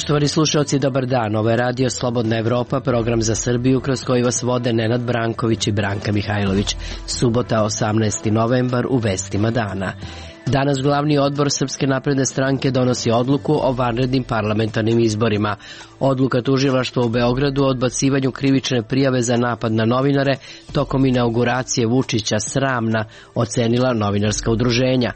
Poštovani slušalci, dobar dan. Ovo je Radio Slobodna Evropa, program za Srbiju kroz koji vas vode Nenad Branković i Branka Mihajlović. Subota, 18. novembar, u vestima dana. Danas glavni odbor Srpske napredne stranke donosi odluku o vanrednim parlamentarnim izborima. Odluka tužilaštva u Beogradu o odbacivanju krivične prijave za napad na novinare tokom inauguracije Vučića sramna, ocenila novinarska udruženja.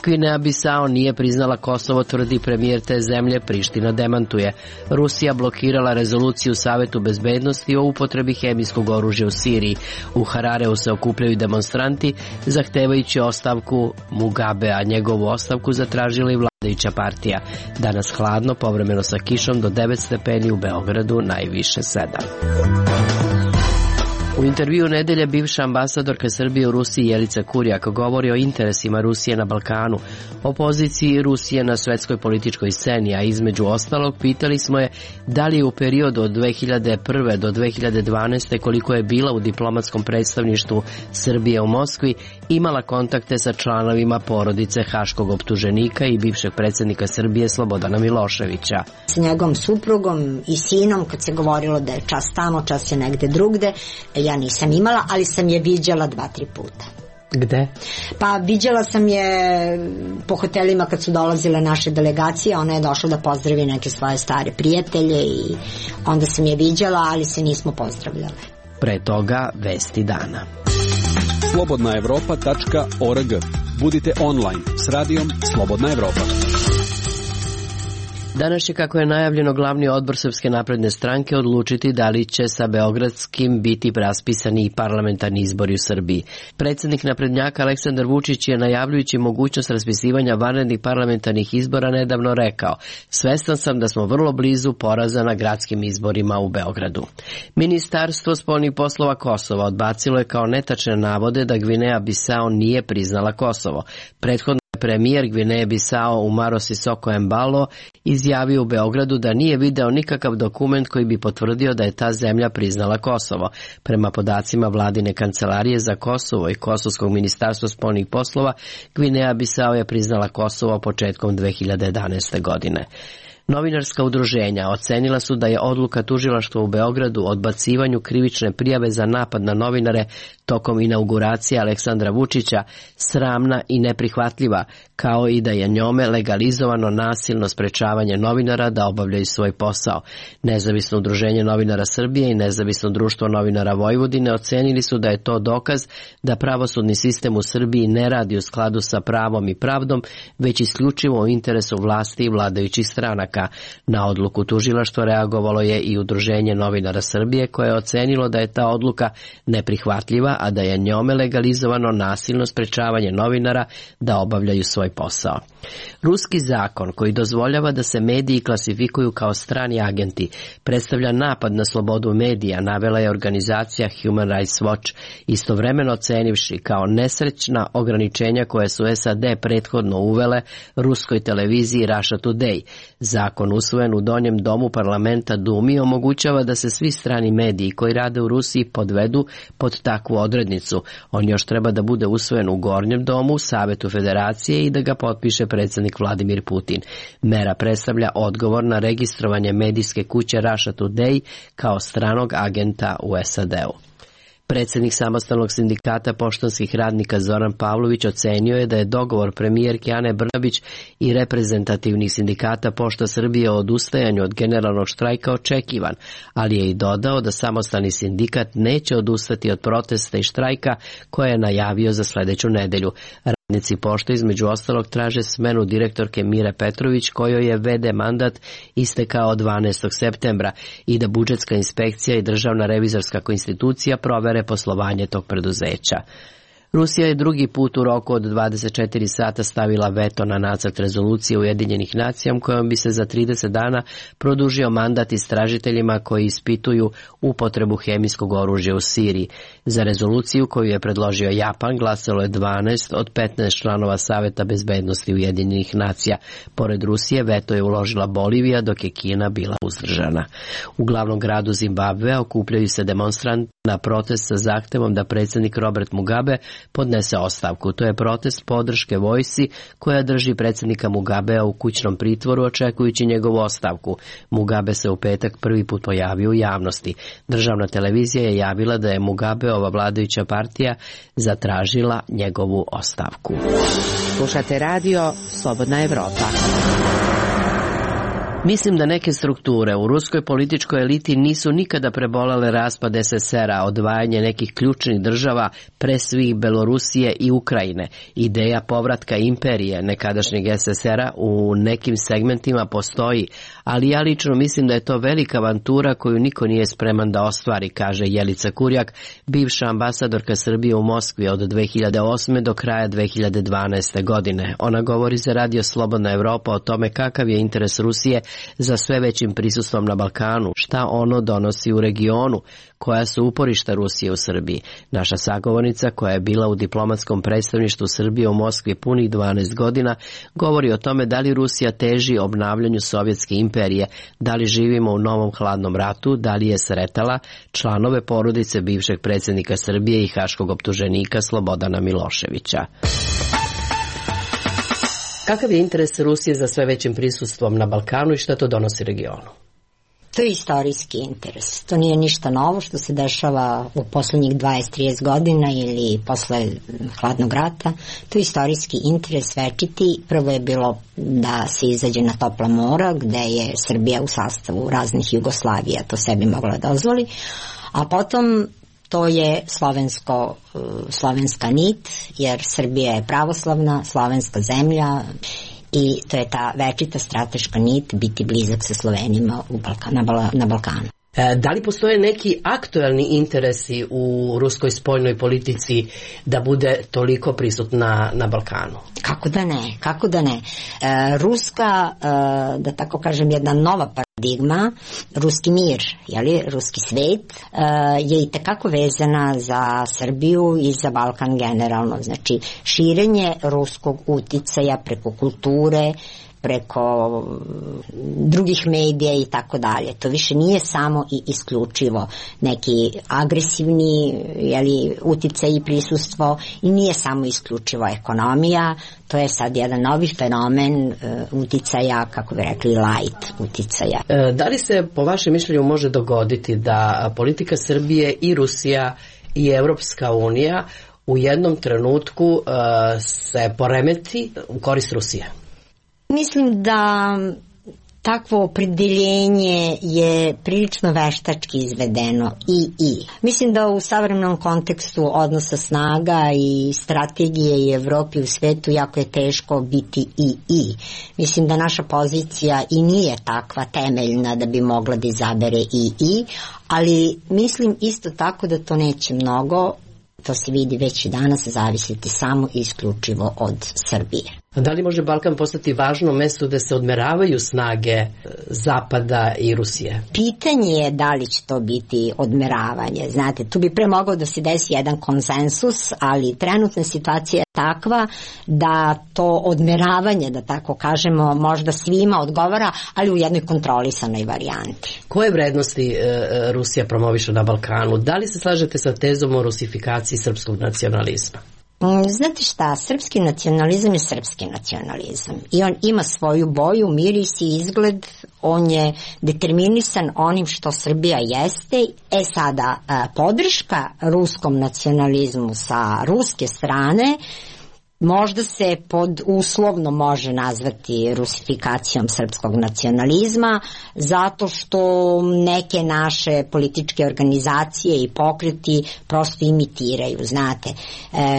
Gvineja Bisao nije priznala Kosovo, tvrdi premijer te zemlje, Priština demantuje. Rusija blokirala rezoluciju Savetu bezbednosti o upotrebi hemijskog oružja u Siriji. U Harareu se okupljaju demonstranti zahtevajući ostavku Mugabe, a njegovu ostavku zatražila i vladajuća partija. Danas hladno, povremeno sa kišom, do 9 stepeni, u Beogradu najviše 7. U intervjuu nedelje bivša ambasadorka Srbije u Rusiji Jelica Kurjak govori o interesima Rusije na Balkanu, o poziciji Rusije na svetskoj političkoj sceni, a između ostalog pitali smo je da li je u periodu od 2001. do 2012. koliko je bila u diplomatskom predstavništvu Srbije u Moskvi imala kontakte sa članovima porodice haškog optuženika i bivšeg predsjednika Srbije Slobodana Miloševića. S njegovom suprugom i sinom, kad se govorilo da je čas tamo, čas je negde drugde, ja nisam imala, ali sam je viđala 2-3 puta. Gde? Pa viđala sam je po hotelima kad su dolazile naše delegacije. Ona je došla da pozdravi neke svoje stare prijatelje i onda sam je viđala, ali se nismo pozdravljale. Pre toga vesti dana. slobodnaevropa.org. Budite online s radijom Slobodna Evropa. Danas će, kako je najavljeno, glavni odbor Srpske napredne stranke odlučiti da li će sa beogradskim biti raspisani i parlamentarni izbori u Srbiji. Predsjednik naprednjaka Aleksandar Vučić je, najavljujući mogućnost raspisivanja vanrednih parlamentarnih izbora, nedavno rekao: svestan sam da smo vrlo blizu poraza na gradskim izborima u Beogradu. Ministarstvo spoljnih poslova Kosova odbacilo je kao netačne navode da Gvineja Bisao nije priznala Kosovo. Prethodno premijer Gvineje Bisao Umaro Sisoko Embalo izjavio u Beogradu da nije video nikakav dokument koji bi potvrdio da je ta zemlja priznala Kosovo. Prema podacima vladine kancelarije za Kosovo i Kosovskog ministarstva spoljnih poslova, Gvineja Bisao je priznala Kosovo početkom 2011. godine. Novinarska udruženja ocenila su da je odluka tužilaštva u Beogradu o odbacivanju krivične prijave za napad na novinare tokom inauguracije Aleksandra Vučića sramna i neprihvatljiva, kao i da je njome legalizovano nasilno sprečavanje novinara da obavljaju svoj posao. Nezavisno udruženje novinara Srbije i Nezavisno društvo novinara Vojvodine ocenili su da je to dokaz da pravosudni sistem u Srbiji ne radi u skladu sa pravom i pravdom, već isključivo u interesu vlasti i vladajućih stranaka. Na odluku tužilaštva reagovalo je i udruženje novinara Srbije, koje je ocenilo da je ta odluka neprihvatljiva, a da je njome legalizovano nasilno sprečavanje novinara da obavljaju svoj posao. Ruski zakon koji dozvoljava da se mediji klasifikuju kao strani agenti predstavlja napad na slobodu medija, navela je organizacija Human Rights Watch, istovremeno ocenivši kao nesrećna ograničenja koje su SAD prethodno uvele ruskoj televiziji Russia Today. Zakon usvojen u donjem domu parlamenta Dumi omogućava da se svi strani mediji koji rade u Rusiji podvedu pod takvu odrednicu. On još treba da bude usvojen u gornjem domu, Savetu Federacije, i da ga potpiše predsjednik Vladimir Putin. Mera predstavlja odgovor na registrovanje medijske kuće Russia Today kao stranog agenta u SAD-u. Predsjednik samostalnog sindikata poštanskih radnika Zoran Pavlović ocenio je da je dogovor premijerke Ane Brnabić i reprezentativnih sindikata Pošta Srbije o odustajanju od generalnog štrajka očekivan, ali je i dodao da samostalni sindikat neće odustati od protesta i štrajka koje je najavio za sljedeću nedelju. Radnici Pošte između ostalog traže smenu direktorke Mire Petrović, kojoj je VD mandat istekao 12. septembra, i da budžetska inspekcija i državna revizorska institucija provere poslovanje tog preduzeća. Rusija je drugi put u roku od 24 sata stavila veto na nacrt rezolucije Ujedinjenih nacija kojom bi se za 30 dana produžio mandat istražiteljima koji ispituju upotrebu hemijskog oružja u Siriji. Za rezoluciju koju je predložio Japan glasalo je 12 od 15 članova Saveta bezbednosti Ujedinjenih nacija. Pored Rusije veto je uložila Bolivija, dok je Kina bila uzdržana. U glavnom gradu Zimbabvea okupljaju se demonstranti na protest sa zahtevom da predsjednik Robert Mugabe podnese ostavku. To je protest podrške vojsci koja drži predsjednika Mugabea u kućnom pritvoru očekujući njegovu ostavku. Mugabe se u petak prvi put pojavio u javnosti. Državna televizija je javila da je Mugabeova vladajuća partija zatražila njegovu ostavku. Slušate radio Slobodna Evropa. Mislim da neke strukture u ruskoj političkoj eliti nisu nikada prebolele raspad SSR-a, odvajanje nekih ključnih država, pre svih Belorusije i Ukrajine. Ideja povratka imperije nekadašnjeg SSR-a u nekim segmentima postoji, ali ja lično mislim da je to velika avantura koju niko nije spreman da ostvari, kaže Jelica Kurjak, bivša ambasadorka Srbije u Moskvi od 2008. do kraja 2012. godine. Ona govori za radio Slobodna Evropa o tome kakav je interes Rusije za sve većim prisustvom na Balkanu, šta ono donosi u regionu, koja su uporišta Rusije u Srbiji. Naša sagovornica, koja je bila u diplomatskom predstavništvu Srbije u Moskvi punih 12 godina, govori o tome da li Rusija teži obnavljanju sovjetske imperije, da li živimo u novom hladnom ratu, da li je sretala članove porodice bivšeg predsjednika Srbije i haškog optuženika Slobodana Miloševića. Kakav je interes Rusije za sve većim prisustvom na Balkanu i šta to donosi regionu? To je istorijski interes. To nije ništa novo što se dešava u poslednjih 20-30 godina ili posle hladnog rata. To je istorijski interes večiti. Prvo je bilo da se izađe na topla mora, gde je Srbija u sastavu raznih Jugoslavija to sebi mogla dozvoli, a potom to je slovenska nit, jer Srbija je pravoslavna, slovenska zemlja i to je ta večita strateška nit biti blizak sa Slovenima na Balkanu. Da li postoje neki aktuelni interesi u ruskoj spoljnoj politici da bude toliko prisutna na Balkanu? Kako da ne. Ruska, da tako kažem, jedna nova paradigma, ruski mir, ruski svet, je i tekako vezana za Srbiju i za Balkan generalno. Znači, širenje ruskog uticaja preko kulture, preko drugih medija i tako dalje. To više nije samo i isključivo neki agresivni uticaj i prisustvo i nije samo isključivo ekonomija. To je sad jedan novi fenomen uticaja, kako bi rekli, light uticaja. Da li se po vašem mišljenju može dogoditi da politika Srbije i Rusija i Evropska unija u jednom trenutku se poremeti u korist Rusije? Mislim da takvo opredeljenje je prilično veštački izvedeno i. Mislim da u savremenom kontekstu odnosa snaga i strategije i Evropi u svetu jako je teško biti i. Mislim da naša pozicija i nije takva temeljna da bi mogla da izabere i, ali mislim isto tako da to neće mnogo, to se vidi već i danas, zavisiti samo i isključivo od Srbije. Da li može Balkan postati važno mesto da se odmeravaju snage Zapada i Rusije? Pitanje je da li će to biti odmeravanje. Znate, tu bi pre mogao da se desi jedan konsensus, ali trenutna situacija je takva da to odmeravanje, da tako kažemo, možda svima odgovara, ali u jednoj kontrolisanoj varijanti. Koje vrednosti Rusija promoviše na Balkanu? Da li se slažete sa tezom o rusifikaciji srpskog nacionalizma? Znate šta, srpski nacionalizam je srpski nacionalizam i on ima svoju boju, miris i izgled, on je determinisan onim što Srbija jeste. Sada, podrška ruskom nacionalizmu sa ruske strane možda se pod uslovno može nazvati rusifikacijom srpskog nacionalizma, zato što neke naše političke organizacije i pokreti prosto imitiraju, znate,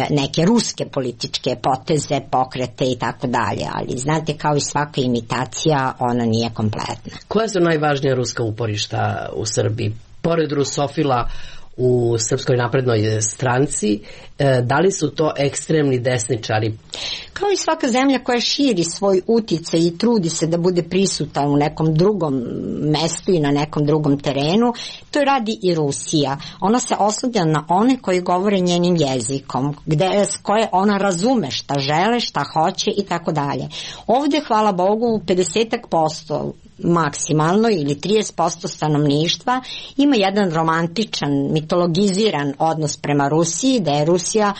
neke ruske političke poteze, pokrete i tako dalje, ali znate, kao i svaka imitacija, ona nije kompletna. Koja su najvažnija ruska uporišta u Srbiji? Pored rusofila u Srpskoj naprednoj stranci, da li su to ekstremni desničari? Kao i svaka zemlja koja širi svoj uticaj i trudi se da bude prisutan u nekom drugom mestu i na nekom drugom terenu, to radi i Rusija. Ona se oslanja na one koji govore njenim jezikom, koje ona razume šta žele, šta hoće i tako dalje. Ovde, hvala Bogu, 50% maksimalno ili 30% stanovništva ima jedan romantičan, mitologiziran odnos prema Rusiji, da je Rusija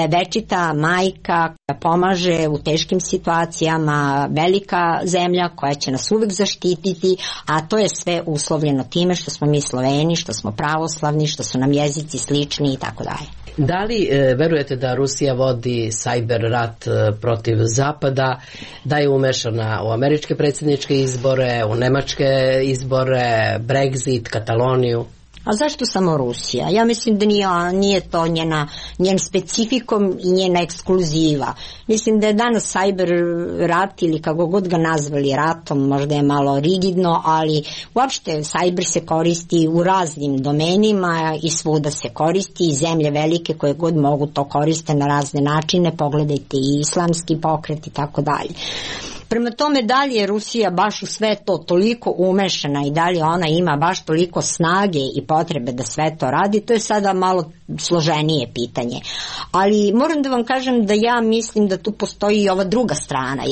večita majka koja pomaže u teškim situacijama, velika zemlja koja će nas uvek zaštititi, a to je sve uslovljeno time što smo mi Sloveni, što smo pravoslavni, što su nam jezici slični i tako dalje. Da li verujete da Rusija vodi sajber rat protiv Zapada, da je umešana u američke predsjedničke izbore, u nemačke izbore, Brexit, Kataloniju? A zašto samo Rusija? Ja mislim da nije to njen specifikom i njena ekskluziva. Mislim da je danas sajber rat ili kako god ga nazvali ratom, možda je malo rigidno, ali uopšte sajber se koristi u raznim domenima i svuda se koristi i zemlje velike koje god mogu to koriste na razne načine, pogledajte i islamski pokret i tako dalje. Prema tome, da li je Rusija baš u sve to toliko umešana i da li ona ima baš toliko snage i potrebe da sve to radi, to je sada malo složenije pitanje. Ali moram da vam kažem da ja mislim da tu postoji i ova druga strana,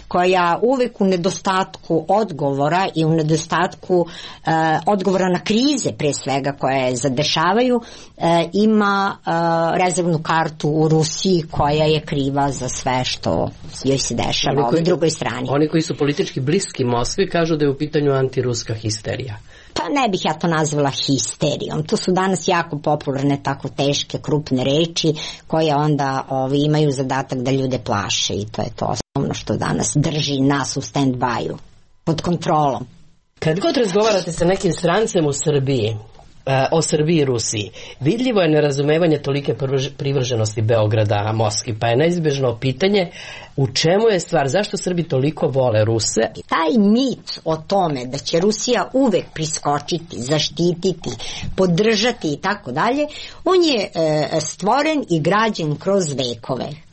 koja uvek u nedostatku odgovora i u nedostatku odgovora na krize, pre svega, koje zadešavaju, ima rezervnu kartu u Rusiji koja je kriva za sve što joj se dešava ovoj drugoj strani. Oni koji su politički bliski Moskvi kažu da je u pitanju antiruska histerija. Pa ne bih ja to nazvala histerijom. To su danas jako popularne tako teške, krupne reči koje onda imaju zadatak da ljude plaše i to je to osnovno što danas drži nas u stand-by-u, pod kontrolom. Kad god razgovarate sa nekim strancem u Srbiji, o Srbiji i Rusiji, vidljivo je nerazumevanje tolike privrženosti Beograda Moskvi, pa je neizbežno pitanje u čemu je stvar, zašto Srbi toliko vole Ruse? Taj mit o tome da će Rusija uvek priskočiti, zaštititi, podržati i tako dalje, on je stvoren i građen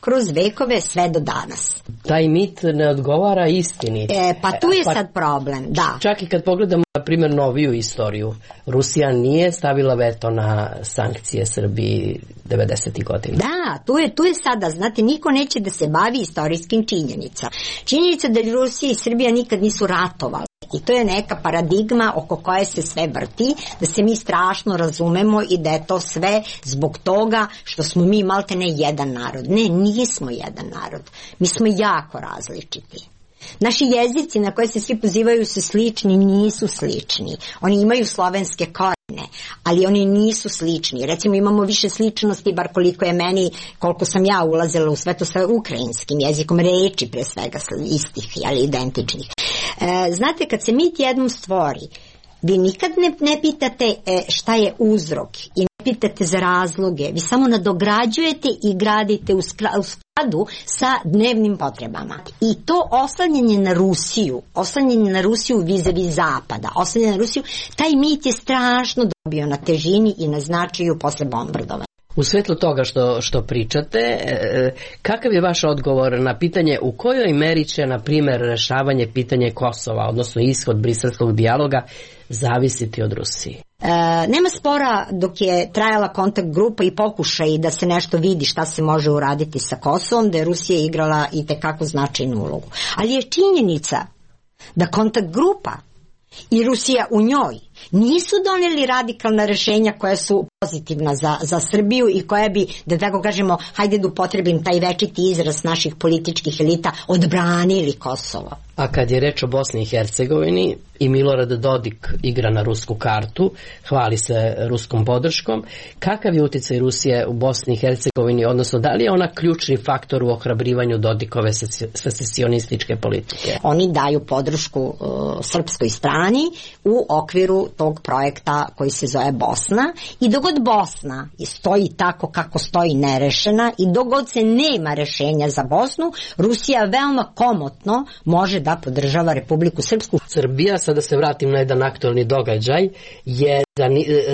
kroz vekove sve do danas. Taj mit ne odgovara istini. Pa tu je sad problem, da. Čak i kad pogledamo, na primjer, noviju istoriju, Rusija nije stavila veto na sankcije Srbiji 90. godina. Da, tu je sada, znate, niko neće da se bavi istorijskim činjenica. Činjenica da Rusija i Srbija nikad nisu ratovali. I to je neka paradigma oko koje se sve vrti, da se mi strašno razumemo i da je to sve zbog toga što smo mi maltene jedan narod. Ne, nismo jedan narod. Mi smo jako različiti. Naši jezici na koje se svi pozivaju su slični, nisu slični. Oni imaju slovenske korijene, ali oni nisu slični. Recimo imamo više sličnosti, bar koliko je meni, koliko sam ja ulazila u sve to sa ukrajinskim jezikom, reči pre svega istih, identičnih. Znate, kad se mit jednom stvori, vi nikad ne pitate šta je uzrok i ne pitate za razloge, vi samo nadograđujete i gradite u skladu sa dnevnim potrebama. I to oslanjanje na Rusiju vis-a-vis Zapada, oslanjanje na Rusiju, taj mit je strašno dobio na težini i na značaju posle bombardovanja. U svetlu toga što pričate, kakav je vaš odgovor na pitanje u kojoj meri će, na primjer, rešavanje pitanje Kosova, odnosno ishod briselskog dijaloga, zavisiti od Rusije? Nema spora dok je trajala kontakt grupa i pokušaj da se nešto vidi šta se može uraditi sa Kosovom, da je Rusija igrala i tekako značajnu ulogu. Ali je činjenica da kontakt grupa i Rusija u njoj nisu doneli radikalna rešenja koja su pozitivna za Srbiju i koja bi, da tako kažemo, hajde da upotrebim taj večiti izraz naših političkih elita, odbranili Kosovo. A kad je reč o Bosni i Hercegovini i Milorad Dodik igra na rusku kartu, hvali se ruskom podrškom, kakav je uticaj Rusije u Bosni i Hercegovini, odnosno da li je ona ključni faktor u ohrabrivanju Dodikove secesionističke politike? Oni daju podršku srpskoj strani u okviru tog projekta koji se zove Bosna i dogod Bosna stoji tako kako stoji nerešena i dogod se nema rešenja za Bosnu, Rusija veoma komotno može da podržava Republiku Srpsku. Srbija, sada se vratim na jedan aktualni događaj, je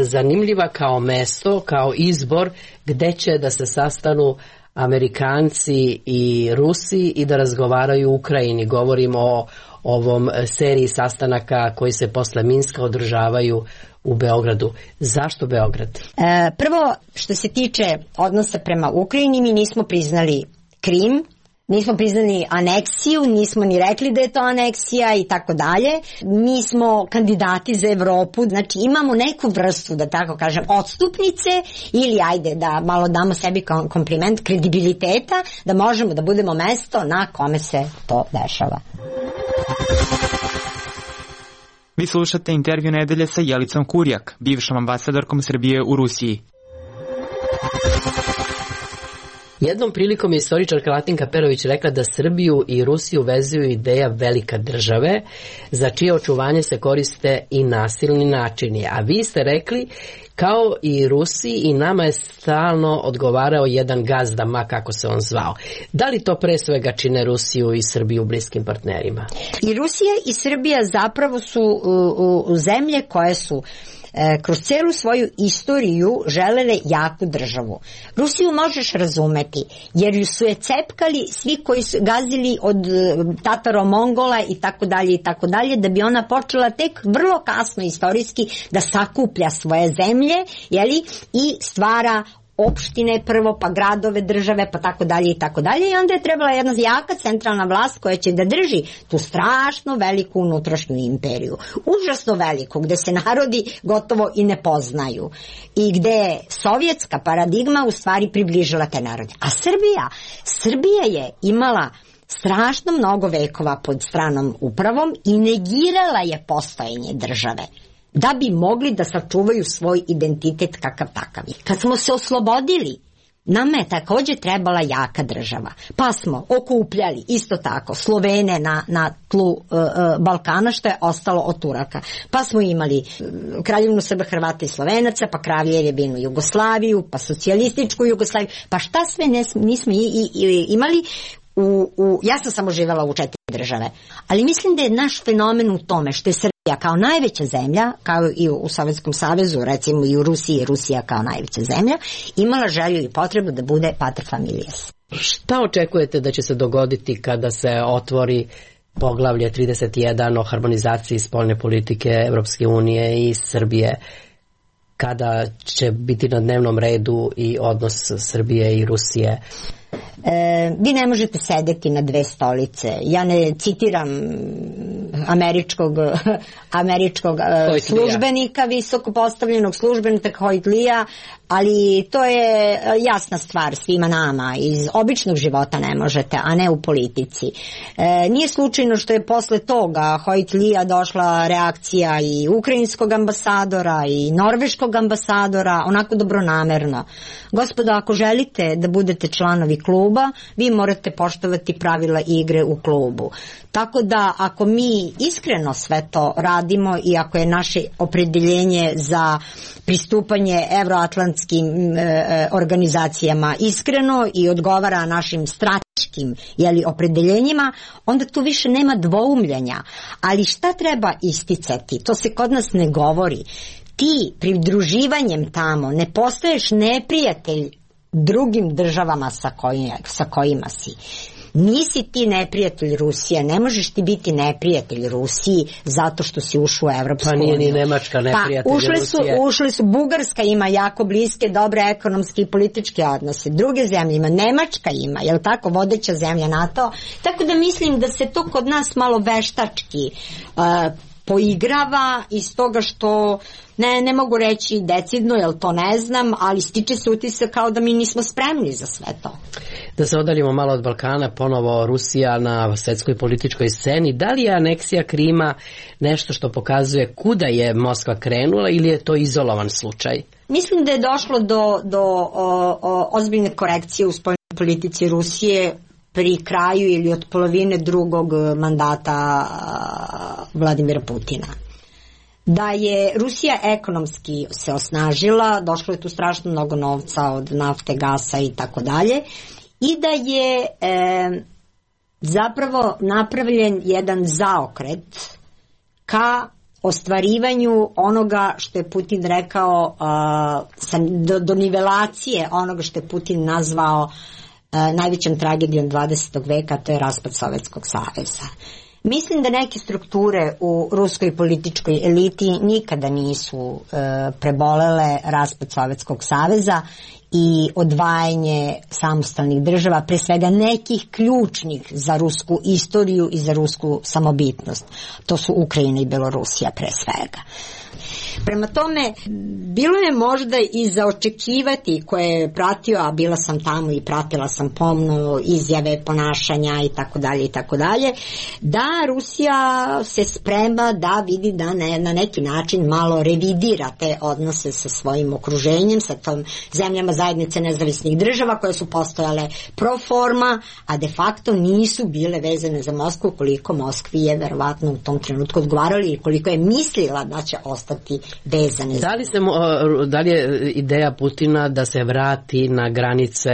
zanimljiva kao mesto, kao izbor gde će da se sastanu Amerikanci i Rusi i da razgovaraju u Ukrajini. Govorimo o ovom seriji sastanaka koji se posle Minska održavaju u Beogradu. Zašto Beograd? Prvo, što se tiče odnosa prema Ukrajini, mi nismo priznali Krim, Nismo priznali aneksiju, nismo ni rekli da je to aneksija i tako dalje. Mi smo kandidati za Evropu, znači imamo neku vrstu, da tako kažem, odstupnice ili ajde da malo damo sebi kompliment kredibiliteta da možemo da budemo mesto na kome se to dešava. Vi slušate intervju nedelje sa Jelicom Kurjak, bivšom ambasadorkom Srbije u Rusiji. Jednom prilikom je istoričarka Latinka Perović rekla da Srbiju i Rusiju vezuju ideja velika države, za čije očuvanje se koriste i nasilni načini. A vi ste rekli, kao i Rusiji, i nama je stalno odgovarao jedan gazda, ma kako se on zvao. Da li to pre svega čine Rusiju i Srbiju bliskim partnerima? I Rusija i Srbija zapravo su zemlje koje su kroz celu svoju istoriju želele jaku državu. Rusiju možeš razumeti, jer ju su je cepkali svi koji su gazili od Tataro-Mongola i tako dalje, da bi ona počela tek vrlo kasno istorijski da sakuplja svoje zemlje, jeli, i stvara opštine prvo, pa gradove, države, pa tako dalje i tako dalje, i onda je trebala jedna jaka centralna vlast koja će da drži tu strašno veliku unutrašnju imperiju, užasno veliku, gde se narodi gotovo i ne poznaju i gde je sovjetska paradigma u stvari približila te narode. A Srbija je imala strašno mnogo vekova pod stranom upravom i negirala je postojanje države da bi mogli da sačuvaju svoj identitet kakav takav. Kad smo se oslobodili, nama je takođe trebala jaka država. Pa smo okupljali isto tako Slovene na tlu Balkana, što je ostalo od Turaka. Pa smo imali Kraljevinu Srba, Hrvata i Slovenaca, pa Kraljevinu Jugoslaviju, pa socijalističku Jugoslaviju. Pa šta sve nismo imali? Ja sam samo živela u 4 države. Ali mislim da je naš fenomen u tome što je Srbija kao najveća zemlja, kao i u Sovjetskom savezu, recimo i u Rusiji, Rusija kao najveća zemlja, imala želju i potrebu da bude pater familias. Šta očekujete da će se dogoditi kada se otvori poglavlje 31 o harmonizaciji spoljne politike Evropske unije i Srbije? Kada će biti na dnevnom redu i odnos Srbije i Rusije? Vi ne možete sedeti na 2 stolice. Ja ne citiram američkog službenika, visoko postavljenog službenika Hojtlija, ali to je jasna stvar svima nama. Iz običnog života ne možete, a ne u politici. Nije slučajno što je posle toga Hojtlija došla reakcija i ukrajinskog ambasadora i norveškog ambasadora, onako dobronamerno. Gospodo, ako želite da budete članovi kluba, vi morate poštovati pravila igre u klubu. Tako da ako mi iskreno sve to radimo i ako je naše opredeljenje za pristupanje evroatlantskim organizacijama iskreno i odgovara našim strateškim opredeljenjima, onda tu više nema dvoumljenja. Ali šta treba isticati? To se kod nas ne govori. Ti pridruživanjem tamo ne postaješ neprijatelj drugim državama sa kojima si. Nisi ti neprijatelj Rusije, ne možeš ti biti neprijatelj Rusiji zato što si ušao u Evropsku uniju. Pa nije ni Nemačka neprijatelj Rusije. Ušli su, Bugarska ima jako bliske, dobre ekonomske i političke odnose. Druge zemlje ima, Nemačka ima, jel tako, vodeća zemlja NATO. Tako da mislim da se to kod nas malo veštački poigrava iz toga što ne mogu reći decidno, jer to ne znam, ali stiče se utisak kao da mi nismo spremni za sve to. Da se odaljimo malo od Balkana, ponovo Rusija na svetskoj političkoj sceni. Da li je aneksija Krima nešto što pokazuje kuda je Moskva krenula ili je to izolovan slučaj? Mislim da je došlo do ozbiljne korekcije u spoljnoj politici Rusije pri kraju ili od polovine drugog mandata Vladimira Putina. Da je Rusija ekonomski se osnažila, došlo je tu strašno mnogo novca od nafte, gasa i tako dalje, i da je zapravo napravljen jedan zaokret ka ostvarivanju onoga što je Putin rekao, do nivelacije onoga što je Putin nazvao najvećom tragedijom 20. veka, to je raspad Sovjetskog saveza. Mislim da neke strukture u ruskoj političkoj eliti nikada nisu prebolele raspad Sovjetskog saveza i odvajanje samostalnih država, pre svega nekih ključnih za rusku istoriju i za rusku samobitnost. To su Ukrajina i Belorusija pre svega. Prema tome, bilo je možda i za očekivati, koje je pratio, a bila sam tamo i pratila sam pomno izjave, ponašanja i tako dalje, da Rusija se sprema da vidi da na neki način malo revidira te odnose sa svojim okruženjem, sa tom zemljama zajednice nezavisnih država koje su postojale pro forma, a de facto nisu bile vezane za Moskvu, koliko Moskvi je verovatno u tom trenutku odgovarali i koliko je mislila da će ostati vezane. Da li je ideja Putina da se vrati na granice,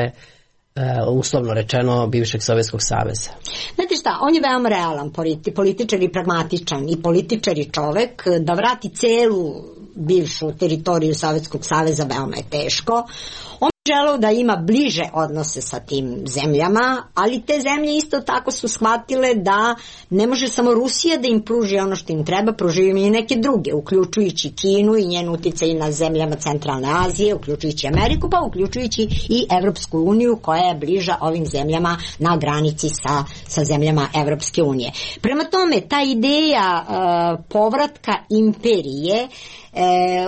uslovno rečeno, bivšeg Sovjetskog saveza? Znate šta, on je veoma realan političar i pragmatičan i političar i čovek. Da vrati celu bivšu teritoriju Sovjetskog saveza veoma je teško. On želeo da ima bliže odnose sa tim zemljama, ali te zemlje isto tako su shvatile da ne može samo Rusija da im pruži ono što im treba, pruži im i neke druge, uključujući Kinu i njen uticaj na zemljama Centralne Azije, uključujući Ameriku, pa uključujući i Evropsku uniju koja je bliža ovim zemljama na granici sa zemljama Evropske unije. Prema tome, ta ideja povratka imperije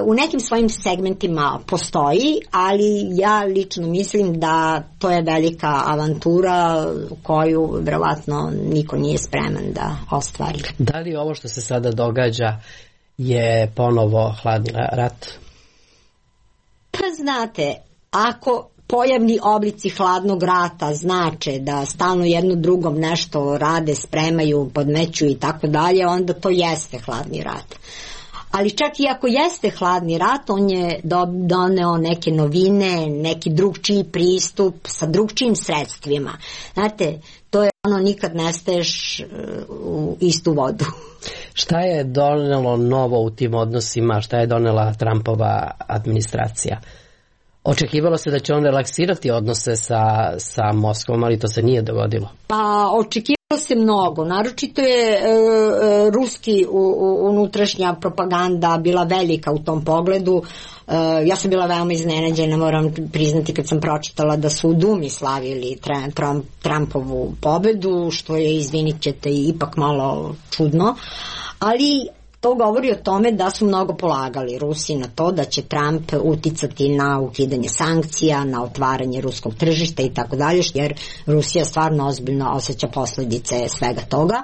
u nekim svojim segmentima postoji, ali ja lično mislim da to je velika avantura koju verovatno niko nije spreman da ostvari. Da li ovo što se sada događa je ponovo hladni rat? Pa znate, ako pojavni oblici hladnog rata znače da stalno jedno drugom nešto rade, spremaju, podmeću i tako dalje, onda to jeste hladni rat. Ali čak i ako jeste hladni rat, on je doneo neke novine, neki drugčiji pristup sa drugčijim sredstvima. Znate, to je ono, nikad ne staješ u istu vodu. Šta je donelo novo u tim odnosima, šta je donela Trumpova administracija? Očekivalo se da će on relaksirati odnose sa Moskvom, ali to se nije dogodilo. Pa očekivalo se mnogo, naročito je ruski unutrašnja propaganda bila velika u tom pogledu. Ja sam bila veoma iznenađena, moram priznati, kad sam pročitala da su u Dumi slavili Trumpovu pobedu, što je, izvinit ćete, ipak malo čudno, ali to govori o tome da su mnogo polagali Rusi na to da će Trump uticati na ukidanje sankcija, na otvaranje ruskog tržišta i tako dalje, jer Rusija stvarno ozbiljno osjeća posledice svega toga.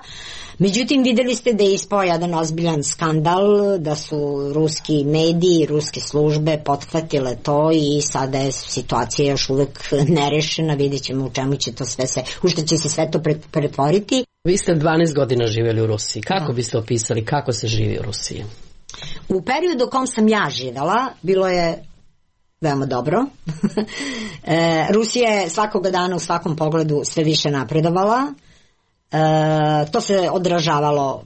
Međutim, videli ste da je ispao jedan ozbiljan skandal, da su ruski mediji, ruske službe pothvatile to i sada je situacija još uvek nerešena, vidjet ćemo u čemu će to u što će se sve to pretvoriti. Vi ste 12 godina živjeli u Rusiji. Kako biste opisali kako se živi u Rusiji? U periodu u kom sam ja živjela bilo je veoma dobro. Rusija je svakoga dana u svakom pogledu sve više napredovala. To se odražavalo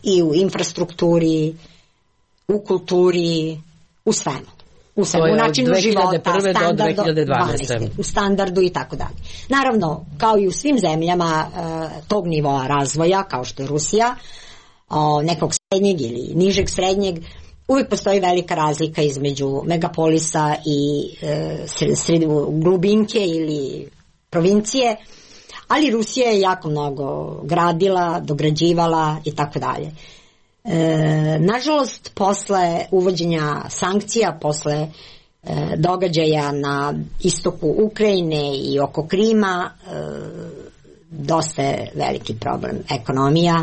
i u infrastrukturi, u kulturi, u svemu. U načinu života, u standardu i tako dalje. Naravno, kao i u svim zemljama tog nivoa razvoja, kao što je Rusija, nekog srednjeg ili nižeg srednjeg, uvijek postoji velika razlika između megapolisa i glubinke ili provincije, ali Rusija je jako mnogo gradila, dograđivala i tako dalje. Nažalost, posle uvođenja sankcija, posle događaja na istoku Ukrajine i oko Krima, dosta je veliki problem ekonomija,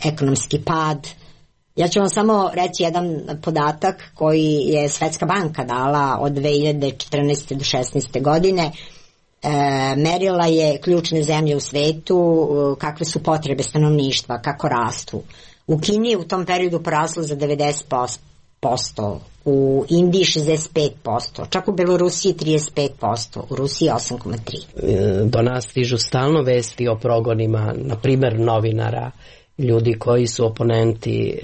ekonomski pad. Ja ću vam samo reći jedan podatak koji je Svetska banka dala od 2014. do 2016. godine. Merila je ključne zemlje u svetu, kakve su potrebe stanovništva, kako rastu. U Kini je u tom periodu poraslo za 90%, u Indiji 65%, čak u Belorusiji 35%, u Rusiji 8,3%. Do nas stižu stalno vesti o progonima, na primjer novinara, ljudi koji su oponenti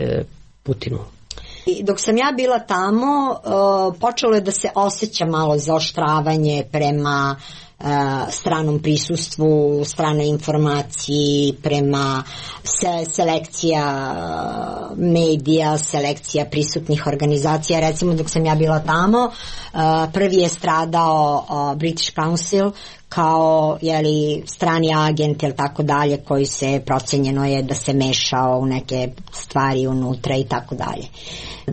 Putinu. Dok sam ja bila tamo, počelo je da se osjeća malo zaoštravanje prema stranom prisustvu, stranoj informaciji, prema selekcija medija, selekcija prisutnih organizacija. Recimo dok sam ja bila tamo, prvi je stradao British Council kao strani agent ili tako dalje, koji se procenjeno je da se mešao u neke stvari unutra i tako dalje.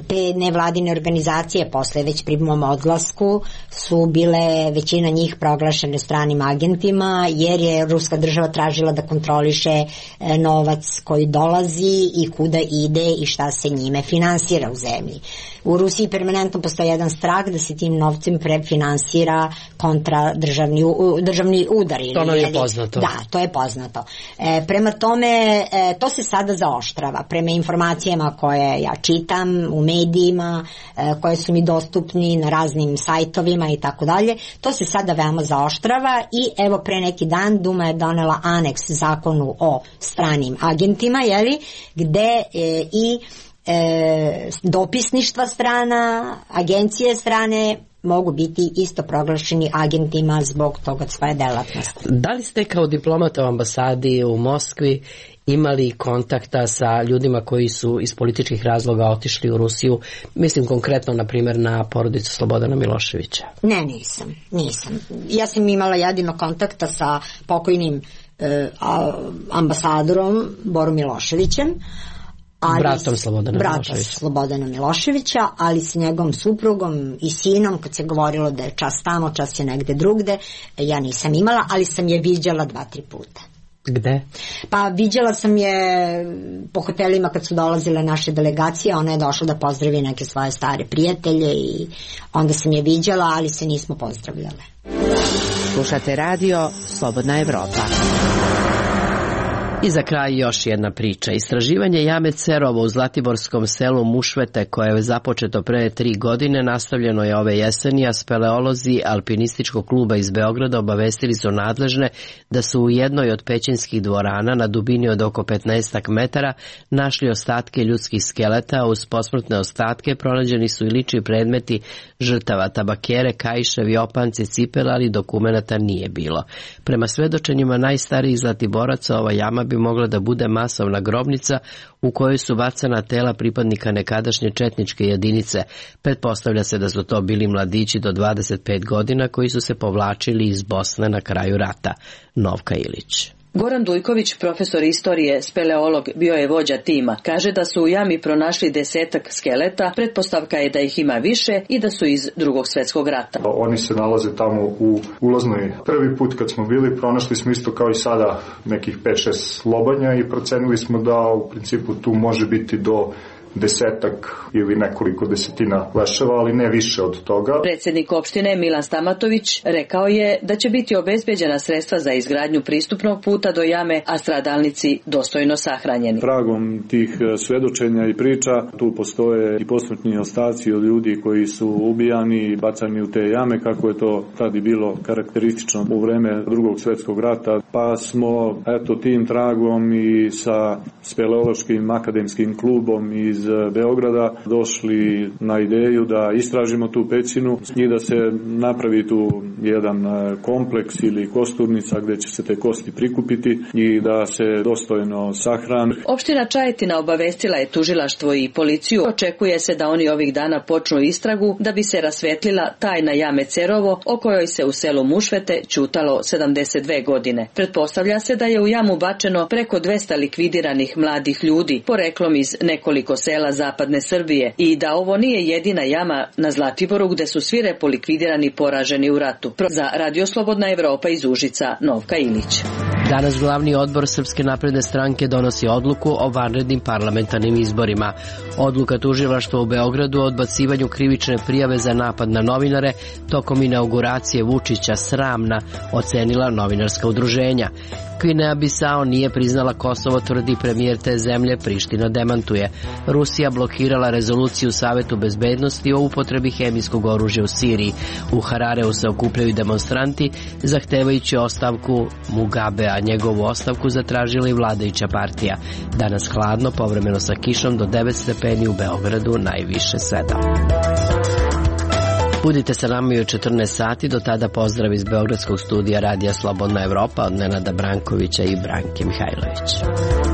Te nevladine organizacije posle već pri mom odlasku su bile većina njih proglašene stranim agentima, jer je ruska država tražila da kontroliše novac koji dolazi i kuda ide i šta se njime finansira u zemlji. U Rusiji permanentno postoji jedan strah da se tim novcem prefinansira državni udari. To nam je poznato. Da, to je poznato. Prema tome, to se sada zaoštrava. Prema informacijama koje ja čitam u medijima, koje su mi dostupni na raznim sajtovima i tako dalje, to se sada veoma zaoštrava i evo pre neki dan Duma je donela aneks zakonu o stranim agentima, gde i dopisništva strana, agencije strane mogu biti isto proglašeni agentima zbog toga svoje delatnosti. Da li ste kao diplomata u ambasadi u Moskvi imali kontakta sa ljudima koji su iz političkih razloga otišli u Rusiju? Mislim konkretno, na primjer, na porodicu Slobodana Miloševića. Ne, nisam. Ja sam imala jedino kontakta sa pokojnim ambasadorom Borom Miloševićem, bratom Slobodana Miloševića, ali s njegovom suprugom i sinom, kad se govorilo da je čas tamo, čas je negde drugde, ja nisam imala, ali sam je viđala 2-3 puta. Gde? Pa viđala sam je po hotelima kad su dolazile naše delegacije, ona je došla da pozdravi neke svoje stare prijatelje i onda sam je viđala, ali se nismo pozdravljale. Slušate radio Slobodna Evropa. I za kraj još jedna priča. Istraživanje jame Cerovo u zlatiborskom selu Mušvete, koje je započeto pre 3 godine, nastavljeno je ove jeseni, a speleolozi alpinističkog kluba iz Beograda obavestili su nadležne da su u jednoj od pećinskih dvorana na dubini od oko 15 metara našli ostatke ljudskih skeleta. Uz posmrtne ostatke pronađeni su i lični predmeti žrtava, tabakere, kaiševi, opanci, cipele, ali dokumenata nije bilo. Prema svedočenjima najstarijih zlatiboraca, ova jama bi mogla da bude masovna grobnica u kojoj su bacana tela pripadnika nekadašnje četničke jedinice. Pretpostavlja se da su to bili mladići do 25 godina koji su se povlačili iz Bosne na kraju rata. Novka Ilić. Goran Dujković, profesor istorije, speleolog, bio je vođa tima. Kaže da su u jami pronašli 10 skeleta, pretpostavka je da ih ima više i da su iz Drugog svjetskog rata. Oni se nalaze tamo u ulaznoj. Prvi put kad smo bili, pronašli smo isto kao i sada nekih 5-6 lobanja i procenili smo da u principu tu može biti do 10 ili nekoliko desetina leševa, ali ne više od toga. Predsjednik opštine Milan Stamatović rekao je da će biti obezbeđena sredstva za izgradnju pristupnog puta do jame, a stradalnici dostojno sahranjeni. Tragom tih svedočenja i priča tu postoje i posmrtni ostaci od ljudi koji su ubijani i bacani u te jame, kako je to tad i bilo karakteristično u vreme Drugog svjetskog rata. Pa smo tim tragom i sa speleološkim akademskim klubom iz Beograda došli na ideju da istražimo tu pećinu i da se napravi tu jedan kompleks ili kosturnica gdje će se te kosti prikupiti i da se dostojno sahrane. Opština Čajetina obavestila je tužilaštvo i policiju. Očekuje se da oni ovih dana počnu istragu da bi se rasvetlila tajna jame Cerovo, o kojoj se u selu Mušvete ćutalo 72 godine. Pretpostavlja se da je u jamu bačeno preko 200 likvidiranih mladih ljudi, poreklom iz nekoliko sela zapadne Srbije, i da ovo nije jedina jama na Zlatiboru gde su svi repolikvidirani i poraženi u ratu. Za Radio Slobodna Evropa iz Užica, Novka Ilić. Danas glavni odbor Srpske napredne stranke donosi odluku o vanrednim parlamentarnim izborima. Odluka tužilaštva u Beogradu o odbacivanju krivične prijave za napad na novinare tokom inauguracije Vučića sramna, ocenila novinarska udruženja. Gvineja-Bisao nije priznala Kosovo, tvrdi premijer te zemlje, Priština demantuje. Rusija blokirala rezoluciju u Savetu bezbednosti o upotrebi hemijskog oružja u Siriji. U Harareu se okupljaju demonstranti zahtevajući ostavku Mugabea, njegovu ostavku zatražila i vladajuća partija. Danas hladno, povremeno sa kišom do 9 stepeni, u Beogradu najviše 7. Budite sa nama i u 14 sati, do tada pozdrav iz Beogradskog studija Radija Slobodna Evropa od Nenada Brankovića i Branke Mihajlović.